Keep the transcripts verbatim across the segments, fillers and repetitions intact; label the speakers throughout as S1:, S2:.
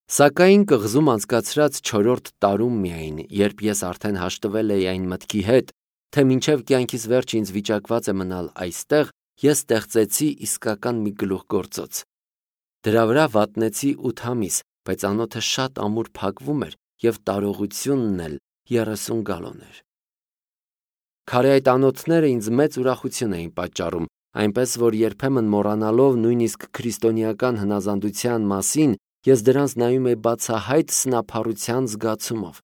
S1: Սակայն կղզում անցկացրած չորրորդ տարում միայն, երբ ես արդեն հաշտվել էի այն մտքի հետ, թե մինչև կյանքիս վերջ ինձ վիճակված է մնալ այստեղ, ես ստեղծեցի իսկական մի գլուխգործոց։ Դրա վրա վատնեցի ութ ամիս, բայց անոթը շատ ամուր փակվում էր և տարողությունն էլ երեսուն գալոն էր։ Քարե այդ անոթները ինձ մեծ ուրախություն էին պատճառում, այնպես որ երբեմն մոռանալով նույնիսկ քրիստոնեական հնազանդության մասին, ես դրանց նայում էի բացահայտ սնափառության զգացումով։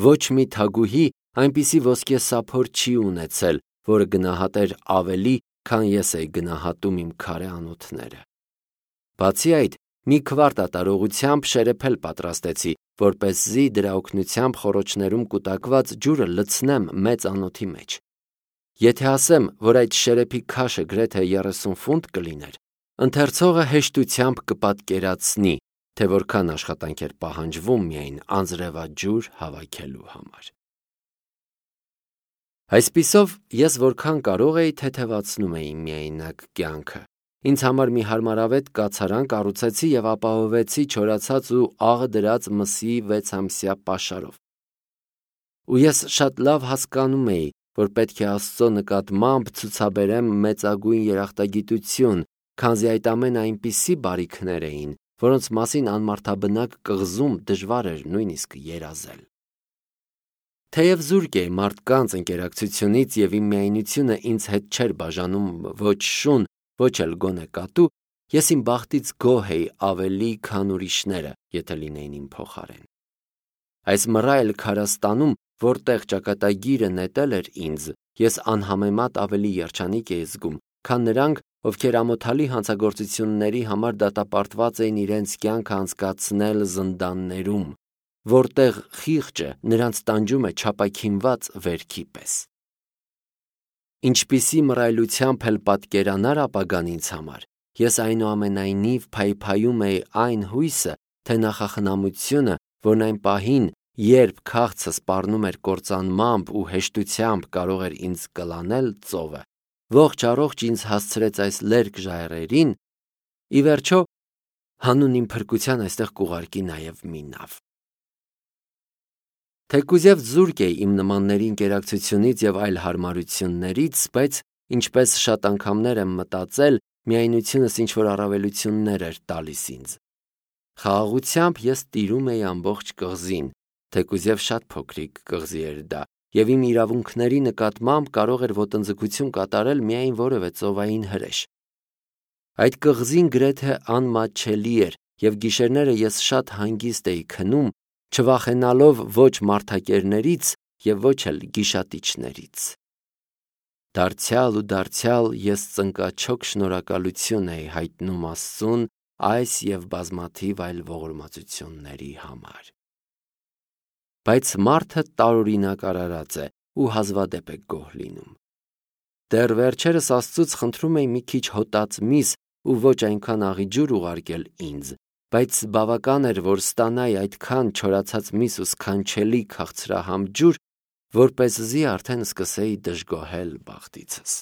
S1: Ոչ մի թագուհի այնպիսի ոսկե սափոր չի ունեցել, որը գնահատեր ավելի, քան ես էի գնահատում իմ քարե անոթները։ Բացի այդ, մի քվարտ ատարողությամբ շերեփել պատրաստեցի, որպեսզի դրա օգնությամբ խոռոչներում կուտակված ջուրը լցնեմ մեծ անոթի մեջ։ Եթե ասեմ, որ այդ շերեփի քաշը գրեթե երեսուն ֆունտ կլիներ, ընթերցողը հեշտությամբ կպատկերացնի, թե որքան աշխատանք էր պահանջվում միայն անձրևաջուր հավաքելու համար։ Այսպիսով, ես որքան կարող էի թեթևացնում էի միայնակ կյանքը։ Ինձ համար մի հարմարավետ կացարան կառուցեցի և ապահովեցի չորացած ու աղը դրած մսի վեցամսյա պաշարով։ Ու ես շատ լավ հասկանում էի, որ պետք է Աստծո նկատմամբ ցուցաբերեմ մեծագույն երախտագիտություն, քանզի այդ ամենը այնպիսի բարիքներ էին, որոնց մասին անմարդաբնակ կղզում դժվար էր նույնիսկ երազել։ Թեև զուրկ էի մարդկանց ընկերակցությունից և իմ միայնությունը ինձ հետ չէր բաժանում ոչ շուն, ոչ էլ գոնե կատու, ես իմ բախտից գոհ էի ավելի, քան ուրիշները, եթե լինեին իմ փոխարեն։ Այս մռայլ քարաստանում, որտեղ ճակատագիրը նետել էր ինձ, ես անհամեմատ ավելի երջանիկ էի զգում, քան նրանք, ովքեր ամոթալի հանցագործությունների համար դատապարտված էին իրենց կյանքը անցկացնել զնդաններում, որտեղ խիղճը նրանց տանջում է չապաքինված վերքի պես։ Ինչպիսի մռայլությամբ էլ պատկերանար ապագան ինձ համար, ես այնուամենայնիվ փայփայում էի այն հույսը, թե նախախնամությունը, որն այն պահին, երբ քաղցը սպառնում էր կործանմամբ ու հեշտությամբ կարող էր ինձ կլանել ծովը, ողջ առողջ ինձ հասցրեց այս լերկ ժայռերին, ի վերջո, հանուն իմ փրկության այստեղ կուղարկի նաև մի նավ։ Թեկուզև զուրկ էի իմ նմանների ընկերակցությունից և այլ հարմարություններից, բայց, ինչպես շատ անգամներ եմ մտածել, միայնությունս ինչ-որ առավելություններ էր տալիս ինձ։ Խաղաղությամբ ես տիրում էի ամբողջ կղզին, թեկուզև շատ փոքրիկ կղզի էր դա, և իմ իրավունքների նկատմամբ կարող էր ոտնձգություն կատարել միայն որևէ ծովային հրեշ։ Այդ կղզին գրեթե անմատչելի էր, և գիշերները ես շատ հանգիստ էի քնում, չվախենալով ոչ մարդակերներից և ոչ էլ գիշատիչներից։ Դարձյալ ու դարձյալ ես ծնկաչոք շնորհակալություն էի հայտնում Աստծուն այս և բազմաթիվ այլ ողորմածությունների համար։ Բայց մարդը տարօրինակ արարած է ու հազվադեպ է գոհ լինում։ Դեռ վերջերս Աստծուց խնդրում էի մի քիչ հոտած միս ու ոչ այնքան աղի ջուր ուղարկել ինձ, բայց բավական էր, որ ստանայի այդքան չորացած միս ու սքանչելի քաղցրահամ ջուր, որպեսզի արդեն սկսեի դժգոհել բախտիցս։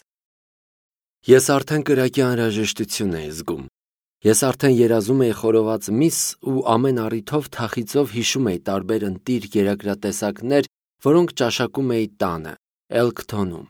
S1: Ես արդեն կրակի անհրաժեշտություն էի զգում։ Ես արդեն երազում էի խորոված միս ու ամեն առիթով թախիծով հիշում էի տարբեր ընտիր երագրատեսակներ, որոնք ճաշակում էի տանը, Էլքթոնում։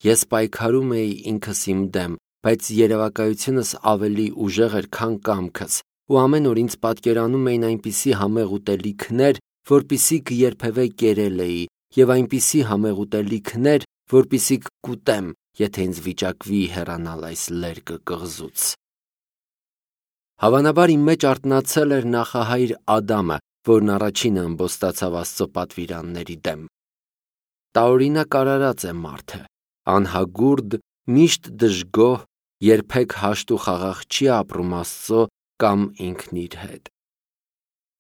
S1: Ես պայքարում էի ինքս իմ դեմ, բայց երևակայությունս ավելի ուժեղ էր, քան կամքս, ու ամեն օր ինձ պատկերանում էին այնպիսի համեղ ուտելիքներ, որպիսիք երբևէ կերել էի, և այնպիսի համեղ ուտելիքներ, որպիսիք կուտեմ, եթե ինձ վիճակվի հեռանալ այս լերկը կղզուց։ Հավանաբար իմ մեջ արթնացել էր նախահայր Ադամը, որն առաջինը ըմբոստացավ Աստծո պատվիրանների դեմ։ Տարօրինակ արարած է մարդը, անհագուրդ, միշտ դժգոհ, երբեք հաշտ ու խաղաղ չի ապրում Աստծո կամ ինքն իր հետ։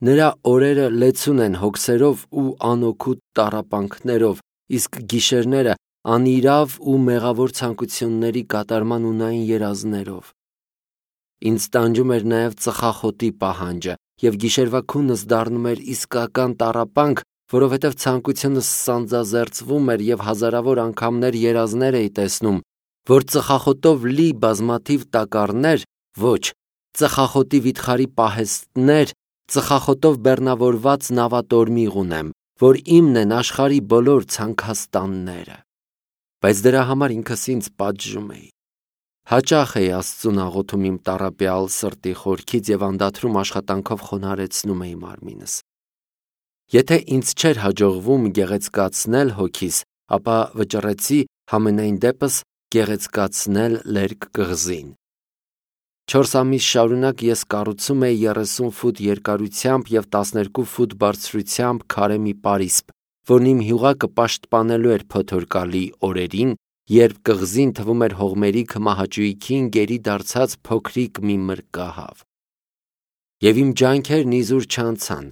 S1: Նրա օրերը լեցուն են հոգսերով ու անօգուտ տառապանքներով, իսկ գիշերները անիրավ ու մեղավոր ցանկությունների կատարման ունային երազներով։ Ինձ տանջում էր նաև ծխախոտի պահանջը, և գիշերվա քունս դառնում էր իսկական տառապանք, որովհետև ցանկությունս սանձազերծվում էր և հազարավոր անգամներ երազներ էի տեսնում, որ ծխախոտով լի բազմաթիվ տակառներ, ոչ, ծխախոտի վիթխարի պահեստներ ծխախոտով բեռնավորված նավատորմիղ ունեմ, որ իմն են աշխարհի բոլոր ցանքաստանները։ Բայց դրա համար ինքս ինձ պատժում էի։ Հաճախ էի Աստծուն աղոթում իմ տառապյալ սրտի խորքից եւ անդադրում աշխատանքով խոնարհեցնում էի մարմինս։ Եթե ինձ չէր հաջողվում գեղեցկացնել հոգիս, ապա վճռեցի համենայն դեպս գեղեցկացնել լերկ կղզին։ Չորս ամիս շարունակ ես կառուցում էի երեսուն ֆուտ երկարությամբ եւ տասներկու ֆուտ բարձրությամբ քարե մի պարիսպ, որն իմ հյուղակը պաշտպանելու էր փոթորկալի օրերին, երբ կղզին թվում էր հողմերի քմահաճույքին գերի դարձած փոքրիկ մի մրկահավ։ Եվ իմ ջանքերն իզուր չանցան։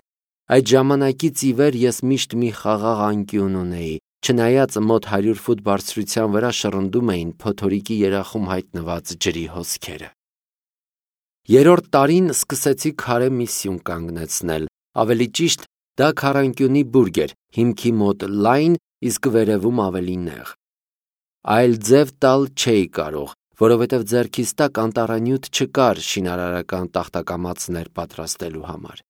S1: Այդ ժամանակից ի վեր ես միշտ մի խաղաղ անկյուն ունեի, չնայած մոտ հարյուր ֆուտ բարձրության վրա շռնդում էին փոթորիկի երախում հայտնված ջրի հոսքերը։ Երրորդ տարին սկսեցի քարե մի սյուն կանգնեցնել, ավելի ճիշտ դա քառանկյունի բուրգ էր, հիմքի մոտ լայն, իսկ վերևում ավելի նեղ։ Այլ ձև տալ չէի կարող, որովհետև ձեռքիս տակ անտառանյութ չկար շինարարական տախտակամածներ պատրաստելու համար։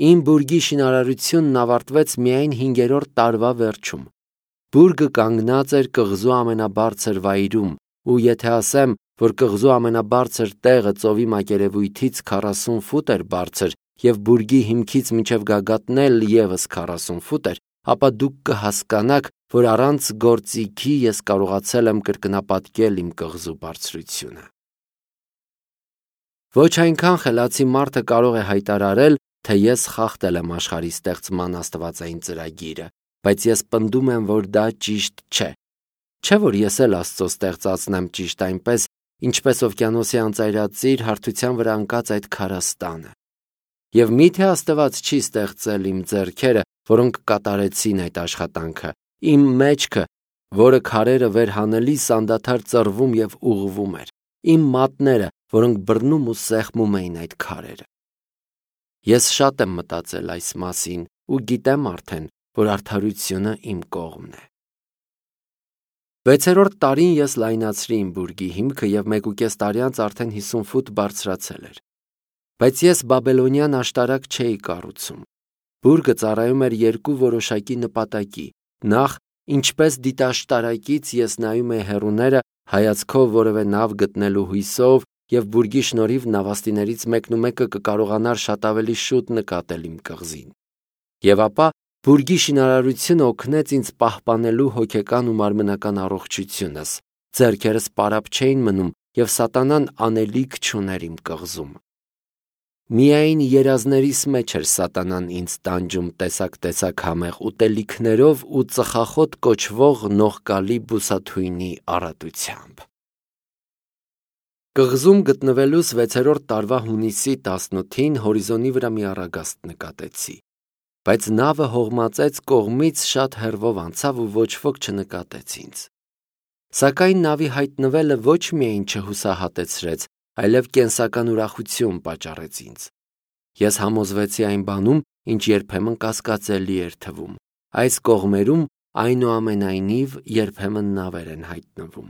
S1: Իմ բուրգի շինարարությունն ավարտվեց միայն հինգերորդ տարվա վերջում։ Բուրգը կանգնած էր կղզու ամենաբարձր վայրում, ու եթե ասեմ, որ կղզու ամենաբարձր տեղը ծովի մակերևույթից քառասուն ֆուտ էր բարձր եւ բուրգի հիմքից մինչեւ գագաթն էլ եւս քառասուն ֆուտ էր, ապա դուք կհասկանաք, որ առանց գործիքի ես կարողացել եմ կրկնապատկել իմ կղզու բարձրությունը։ Ոչ այնքան խելացի մարդը կարող է հայտարարել, թե ես խախտել եմ աշխարհի ստեղծման աստվածային ծրագիրը, բայց ես պնդում եմ, որ դա ճիշտ չէ։ Չէ՞ որ ես էլ Աստծո ստեղծածն եմ ճիշտ այնպես, ինչպես օվկիանոսի անծայրածիր հարթության վրա ընկած այդ քարաստանը։ Եվ միթե Աստված չի ստեղծել իմ ձեռքերը, որոնք կատարեցին այդ աշխատանքը, իմ մեջքը, որը քարերը վերհանելիս անդադար ծռվում եւ ուղղվում էր, իմ մատները, որոնք բռնում ու սեղմում էին այդ քարերը։ Ես շատ եմ մտածել այս մասին ու գիտեմ արդեն, որ արդարությունը իմ կողմն է։ Վեցերորդ տարին ես լայնացրի իմ բուրգի հիմքը եւ մեկուկես տարի անց արդեն հիսուն ֆուտ բարձրացել էր։ Բայց ես բաբելոնյան աշտարակ չէի կառուցում։ Բուրգը ծառայում էր երկու որոշակի նպատակի։ Նախ, ինչպես դիտաշտարակից ես նայում էի հեռուները հայացքով որևէ նավ գտնելու հույսով եւ բուրգի շնորհիվ նավաստիներից մեկն ու մեկը կկարողանար շատ ավելի շուտ նկատել իմ կղզին։ Եվ ապա բուրգի շինարարությունը օգնեց ինձ պահպանելու հոգեկան ու մարմնական առողջությունս, ձեռքերս պարապ չէին մնում եւ սատանան անելիք չուներ իմ կղզում։ Միայն երազներիս մեջ էր սատանան ինձ տանջում տեսակ-տեսակ համեղ ուտելիքներով ու ծխախոտ կոչվող նողկալի բուսաթույնի առատությամբ։ Կղզում գտնվելուս վեցերորդ տարվա հունիսի տասնութին հորիզոնի վրա մի առագաստ նկատեցի, բայց նավը հողմածեց կողմից շատ հեռվով անցավ ու ոչ ոք չնկատեց ինձ։ Սակայն նավի հայտնվելը ոչ միայն չհուսահատեցրեց, այլև կենսական ուրախություն պատճառեց ինձ։ Ես համոզվեցի այն բանում, ինչ երբեմն կասկածելի էր թվում։ Այս կողմերում այնուամենայնիվ երբեմն նավեր են հայտնվում։